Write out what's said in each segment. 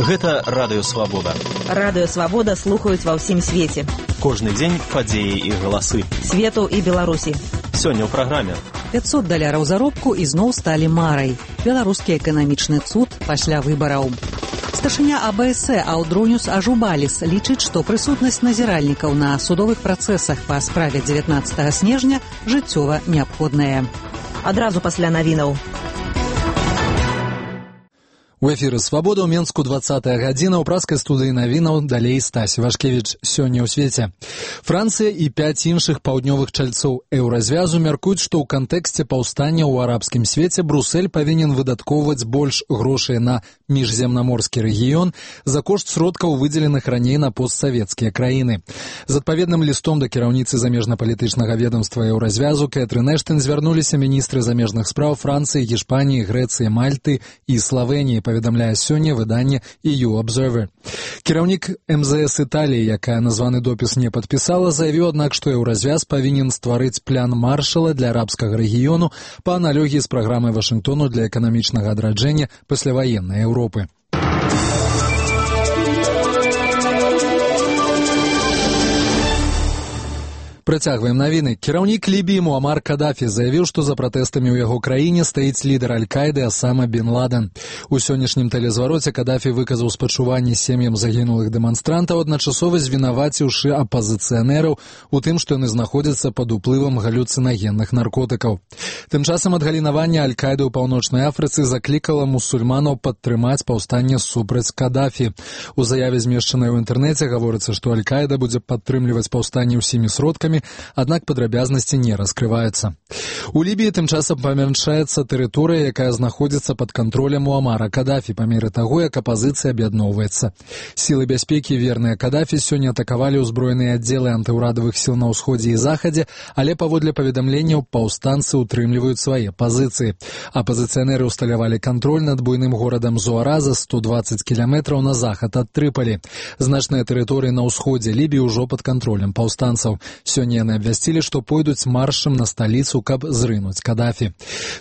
Гэта Радыё Свабода. Радыё Свабода слухаюць ва ўсім свеце. Кожны дзень падзеі і галасы. Свету і Беларусі. Сёння ў праграме. $500 заробку ізноў сталі марай. Беларускі эканамічны цуд пасля выбараў. Старшыня АБС Аўдроніус Ажубаліс лічыць, што прысутнасць назіральнікаў на судовых працэсах па справе 19 снежня жыццёва неабходная. Адразу пасля навінаў. У эфіры «Свабода» ў Менску 20-я гадзіна. У праскай студыі навінаў далей Стась Вашкевіч. Сёння ў свеце. Францыя і 5 іншых паўднёвых чальцоў еўразвязу мяркуюць, што ў кантэксце паўстання ў арабскім свеце Брусэль павінен выдаткоўваць больш грошай на міжземнаморскі рэгіён за кошт сродкаў, выдзеленых раней на постсавецкія краіны. З адпаведным лістом да кіраўніцы замежнапалітычнага ведомства еўразвязу Кэтрын Эштэн звярнуліся міністры замежных спраў Францыі, Гішпаніі, Грэцыі, Мальты і Славеніі, паведамляе сёння выданне EU Observer. Кіраўнік МЗС Італіі, якая названы допіс не падпісала, заявіў, аднак, што еўразвяз павінен стварыць план Маршала для арабскага рэгіёну па аналогіі з праграмай Вашынгтону для эканамічнага адраджэння пасляваеннай Еўропы. Працягваем навіны. Кіраўнік Лібіі Муамар Кадафі заявіў, што за пратэстамі ў яго краіне стаіць лідар Аль-Каіды Асама бен Ладен. У сённяшнім тэлезвароце Кадафі выказаў спачуванні сем'ям загінулых дэманстрантаў, адначасова звінаваціўшы апазіцыянераў у тым, што яны знаходзяцца пад уплывам галюцынагенных наркотыкаў. Тым часам адгалінаванне Аль-Каіды ў Паўночнай Афрыцы заклікала мусульманаў падтрымаць паўстанне супраць Кадафі. У заяве, змешчанай у інтэрнэце, гаворыцца, што Аль-Каіда будзе падтрымліваць паўстанне ўсімі сродкамі, аднак падрабязнасці не раскрываюцца. У Лібіі тым часам памяншаецца тэрыторыя, якая знаходзіцца пад кантролем Муамара Кадафі па меры таго, як апазіцыя аб'ядноўваецца. Сілы бяспекі, верныя Кадафі, сёння атакавалі ўзброеныя аддзелы антыўрадавых сіл на ўсходзе і захадзе, але паводле паведамленняў паўстанцы утрымліваюць свае пазіцыі. Апазіцыянеры ўсталявалі кантроль над буйным горадам Зуара за 120 кіламетраў на захад ад Трыпалі. Значныя тэрыторыі на ўсходзе Лібіі ўжо пад кантролем паўстанцаў. Сёння яны абвясцілі, што пойдуць маршам на сталіцу, каб зрынуць Кадафі.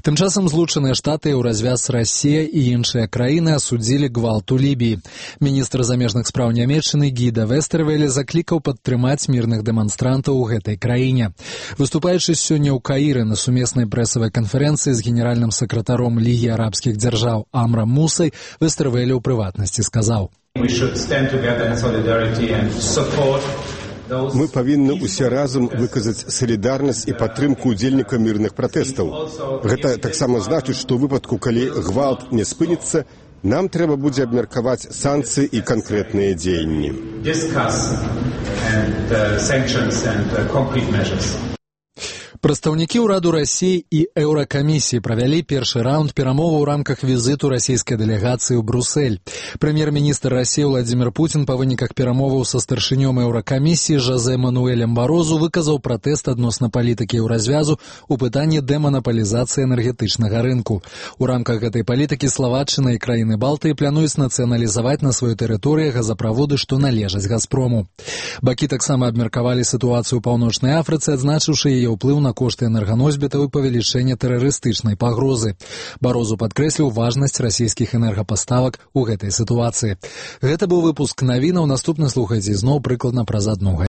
Тым часам Злучаныя Штаты, Еўразвяз, Расія і іншыя краіны асудзілі гвалт у Лібіі. Міністр замежных спраў Нямецчыны Гіда Вестэрвеле заклікаў падтрымаць мірных дэманстрантаў у гэтай краіне. Выступаючы сёння ў Каіры на сумеснай прэсавай канферэнцыі з генеральным сакратаром Лігі арабскіх дзяржаў Амрам Мусай, Вестэрвеле ў прыватнасці сказаў: Мы павінны ўсе разам выказаць салідарнасць і падтрымку ўдзельнікаў мірных пратэстаў. Гэта таксама значыць, што ў выпадку, калі гвалт не спыніцца, нам трэба будзе абмеркаваць санкцыі і канкрэтныя дзеянні. Прадстаўнікі ўраду Расіі і Еўракамісіі правялі першы раунд перамоваў у рамках візіту расійскай дэлегацыі ў Брусэль. Прэм'ер-міністр Расіі Владзімір Пуцін па выніках перамоваў са старшынём Еўракамісіі Жозе Мануэлем Барозу выказаў пратэст адносна палітыкі еўразвязу ў пытанні дэманаполізацыі энергетычнага рынку. У рамках гэтай палітыкі Славаччына і краіны Балтыі плануюць нацыяналізаваць на сваёй тэрыторыі газаправоды, што належаць Газпрому. Бакі таксама абмеркавалі сітуацыю ў Паўночнай Афрыцы, адзначыўшы яе ўплыў на кошты энерганосьбітаў і павелічэнне тэрарыстычнай пагрозы. Барозу падкрэсліў важнасць расійскіх энергапаставак у гэтай сітуацыі. Гэта быў выпуск навінаў. Наступны слухайце зноў прыкладна праз 1 гадзіну.